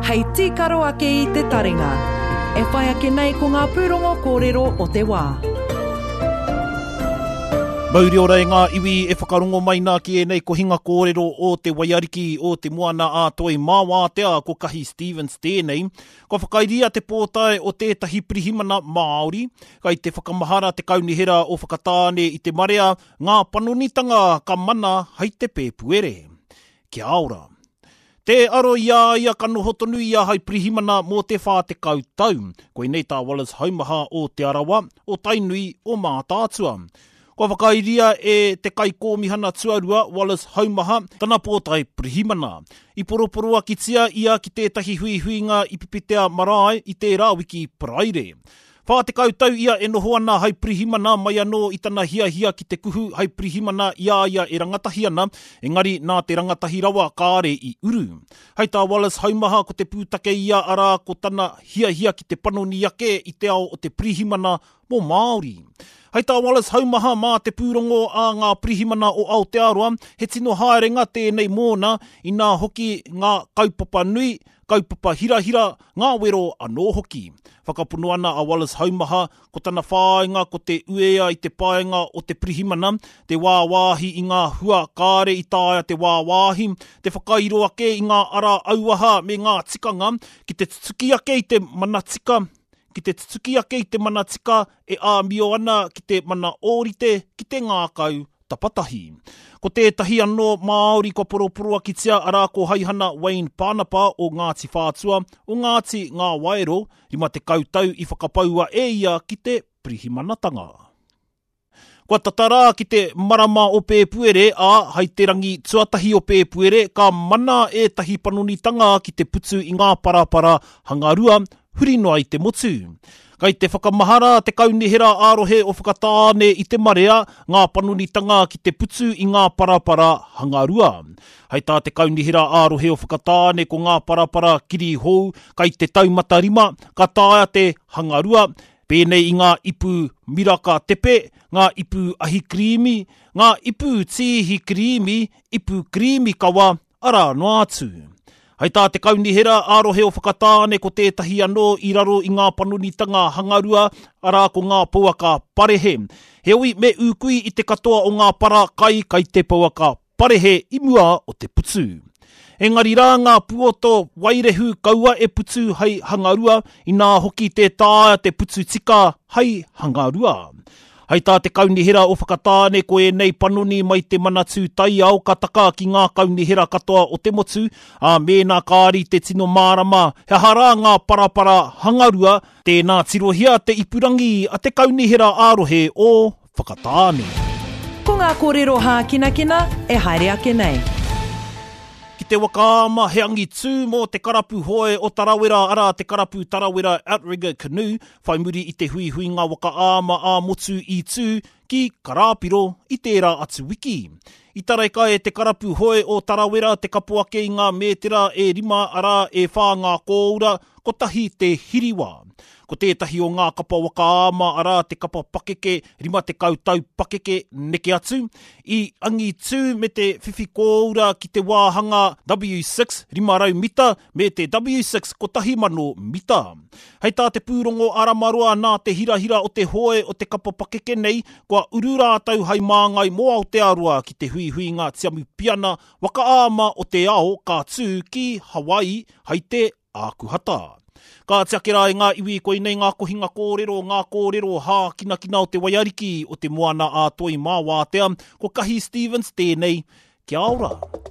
Hei tīkaro ake i te taringa. E whai ake nei ko ngā pūrongo kōrero o te wā. Mauri ora e ngā iwi e whakarongo mai nā ki ēnei kohinga kōrero o te waiariki o te moana a Toi mā wātea ko Kahi Stevens tēnei. Kua whakairia te pōtae o tētahi pirihimana Māori, kai te whakamahara te kaunihera o Whakatāne i te marea ngā panonitanga ka mana hai te Pēpuere. Kia ora. Tē aro i a ia ka noho tonu ia hai pirihimana mō te 40 tau. Koinei tā Wallace Haumaha o Te Arawa, o Tainui, o Mātaatua. Kua whakairia e te Kaikōmihana Tuarua, Wallace Haumaha, tana pōtae pirihimana. I poroporoakitia ia ki tētahi huihuinga i Pipitea Marae i tērā wiki Paraire. 40 tau ia e noho ana hai pirihimana mai anō i tana hiahia ki te kuhu hai pirihimana i a ia e rangatahi ana, engari nā te rangatahi rawa kāre i uru. Hai tā Wallace Haumaha ko te pūtake ia arā ko tana hiahia ki te panoni ake i te ao o te pirihimana mō Māori. Hai tā Wallace Haumaha mā te pūrongo a ngā pirihimana o Aotearoa he tino haerenga tēnei mōna inā hoki ngā kaupapa nui, kaupapa hirahira, ngā wero anō hoki. Whakapono ana a Wallace Haumaha, ko tana whāinga ko te uea i te paenga o te pirihimana, te wāwāhi i ngā hua kāre i taea te wāwāhi, te whakairo ake i ngā ara auaha me ngā tikanga ki te tutuki ake i te mana tika, ki te tutuki ake i te mana tika e āmio ana ki te mana ōrite, ki te ngākau tapatahi. Ko tētahi anō Māori kua poroporoakitia arā ko Haihana Wayne Panapa o Ngāti Whātua, o Ngāti Ngāwaero, 50 tau i whakapaua e ia ki te pirihimanatanga. Kua tata rā ki te marama o Pēpuere, ā, hai te rangi tuatahi o Pēpuere ka mana ētahi panonitanga ki te putu i ngā parapara hangarua huri noa i te motu. Kai te whakamahara te Kaunihera ā-Rohe o Whakatāne i te marea ngā panonitanga ki te putu i ngā parapara hangarua. Hai tā te Kaunihera ā-Rohe o Whakatāne ko ngā parapara kirihou kai te taumata rima ka taea te hangarua, pēnei i ngā ipu miraka tepe, ngā ipu ahikrīmi, ngā ipu tīhi kirīmi, ipu kirīmi kawa, arā noa atu. Hai tā te Kaunihera ā-Rohe o Whakatāne ko tētahi anō i raro i ngā panonitanga hangarua, arā ko ngā pouaka parehe. Heoi, me ūkui i te katoa o ngā para kai kai te pouaka parehe i mua o te putu. Engari rā ngā puoto wairehu kaua e putu hai hangarua, inā hoki tē taea te putu tika hai hangarua. Hai tā te Kaunihera o Whakatāne ko ēnei panoni mai te Manatū Taiao ka taka ki ngā kaunihera katoa o te motu, ā, mēnā kāri te tino mārama he aha rā ngā parapara hangarua, tēnā tirohia te ipurangi a te Kaunihera ā-rohe o Whakatāne. Ko ngā kōrero hākinakina e haere ake nei. Ki te waka ama, he angitū mō te karapu hoe o Tarawera arā te karapu Tarawera Outrigger Canoe, Whai muri i te huihuinga waka āma ā-motu i tū ki Karāpiro i tērā atu wiki. I tareka e te karapu hoe o Tarawera te kapo ake i ngā mētera e rima arā e whā ngā kōura, kotahi te hiriwa. Ko tētahi o ngā kapa waka āma arā te kapa pakeke 50 tau pakeke neke atu, i angitū me te whiwhi kōura ki te wāhanga W6 500 mita me te W6 1000 mita. Hei tā te pūrongo a Ramaroa nā te hirahira o te hoe o te kapa pakeke nei, kua uru rātou hai māngai mō Aotearoa ki te huihuinga tiamupiana waka āma o te ao ka tū ki Hawaii hai te Ākuhata. Kāti ake rā e ngā iwi koinei ngā kohinga kōrero, ngā kōrero hākinakina o te waiariki o te Moana-a-Toi mā Wātea, ko Kahi Stevens tēnei. Kia ora!